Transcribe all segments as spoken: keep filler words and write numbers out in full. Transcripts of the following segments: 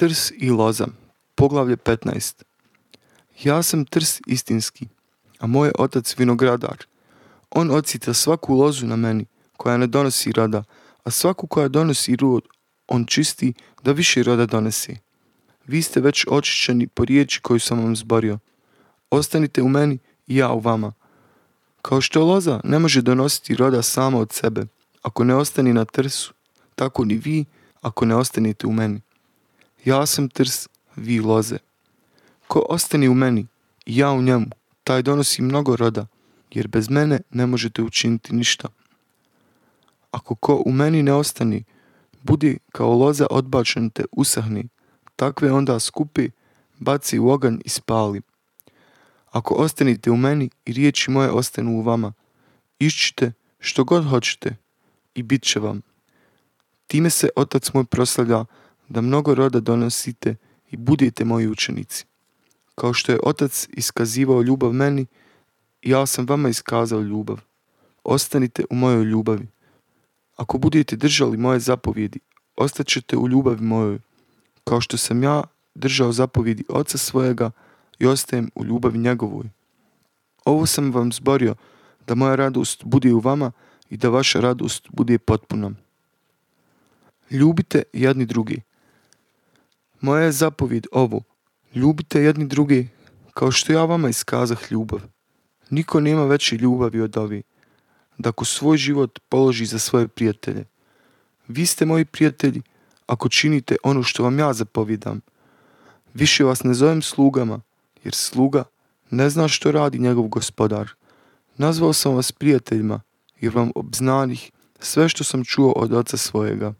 Trs i loza, poglavlje petnaest. Ja sam trs istinski, a moj je otac vinogradar. On odsita svaku lozu na meni, koja ne donosi roda, a svaku koja donosi rod, on čisti da više roda donese. Vi ste već očišćeni po riječi koju sam vam zborio. Ostanite u meni i ja u vama. Kao što loza ne može donositi roda sama od sebe, ako ne ostani na trsu, tako ni vi ako ne ostanete u meni. Ja sam trs, vi loze. Ko ostane u meni i ja u njemu, taj donosi mnogo roda, jer bez mene ne možete učiniti ništa. Ako ko u meni ne ostane, budi kao loza odbačen te usahni, takve onda skupi, baci u oganj i spali. Ako ostanete u meni i riječi moje ostanu u vama, iščite što god hoćete i bit će vam. Time se otac moj proslavlja da mnogo roda donosite i budete moji učenici. Kao što je otac iskazivao ljubav meni, ja sam vama iskazao ljubav. Ostanite u mojoj ljubavi. Ako budete držali moje zapovjedi, ostaćete u ljubavi mojoj, kao što sam ja držao zapovjedi oca svojega i ostajem u ljubavi njegovoj. Ovo sam vam zborio, da moja radost bude u vama i da vaša radost bude potpuna. Ljubite jedni drugi. Moja je zapovjed ovo, ljubite jedni drugi, kao što ja vama iskazah ljubav. Niko nema veće ljubavi od ove, da ko svoj život položi za svoje prijatelje. Vi ste moji prijatelji, ako činite ono što vam ja zapovjedam. Više vas ne zovem slugama, jer sluga ne zna što radi njegov gospodar. Nazvao sam vas prijateljima, jer vam obznanih sve što sam čuo od oca svojega.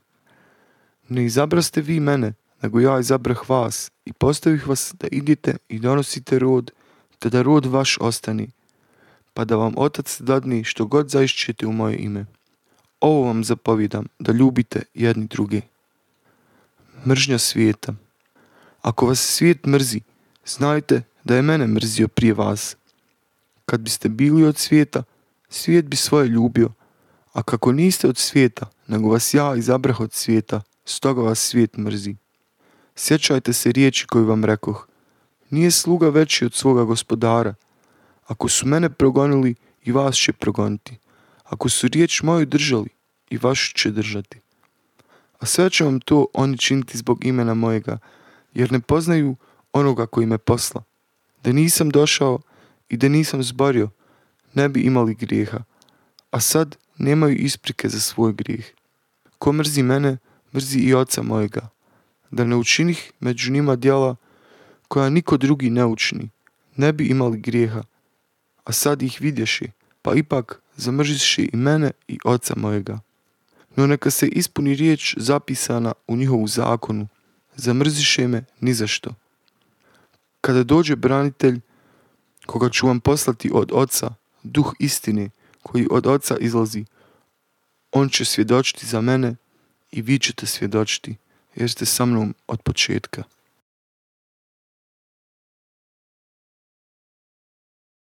Ne izabraste vi mene, nego ja izabrah vas i postavih vas da idete i donosite rod, te da rod vaš ostani, pa da vam otac dadne što god zaišćete u moje ime. Ovo vam zapovjedam, da ljubite jedni druge. Mržnja svijeta. Ako vas svijet mrzi, znajte da je mene mrzio prije vas. Kad biste bili od svijeta, svijet bi svoje ljubio, a kako niste od svijeta, nego vas ja izabrah od svijeta, stoga vas svijet mrzi. Sjećajte se riječi koju vam rekoh. Nije sluga veći od svoga gospodara. Ako su mene progonili, i vas će progoniti. Ako su riječ moju držali, i vašu će držati. A sve će vam to oni činiti zbog imena mojega, jer ne poznaju onoga koji me posla. Da nisam došao i da nisam zborio, ne bi imali grijeha, a sad nemaju isprike za svoj grijeh. Ko mrzi mene, mrzi i oca mojega. Da ne učinih među njima djela koja niko drugi ne učini, ne bi imali grijeha, a sad ih vidješi, pa ipak zamrziši i mene i oca mojega. No neka se ispuni riječ zapisana u njihovu zakonu, zamrziše me ni za što. Kada dođe branitelj, koga ću vam poslati od oca, duh istine koji od oca izlazi, on će svjedočiti za mene i vi ćete svjedočiti, jer ste sa mnom od početka.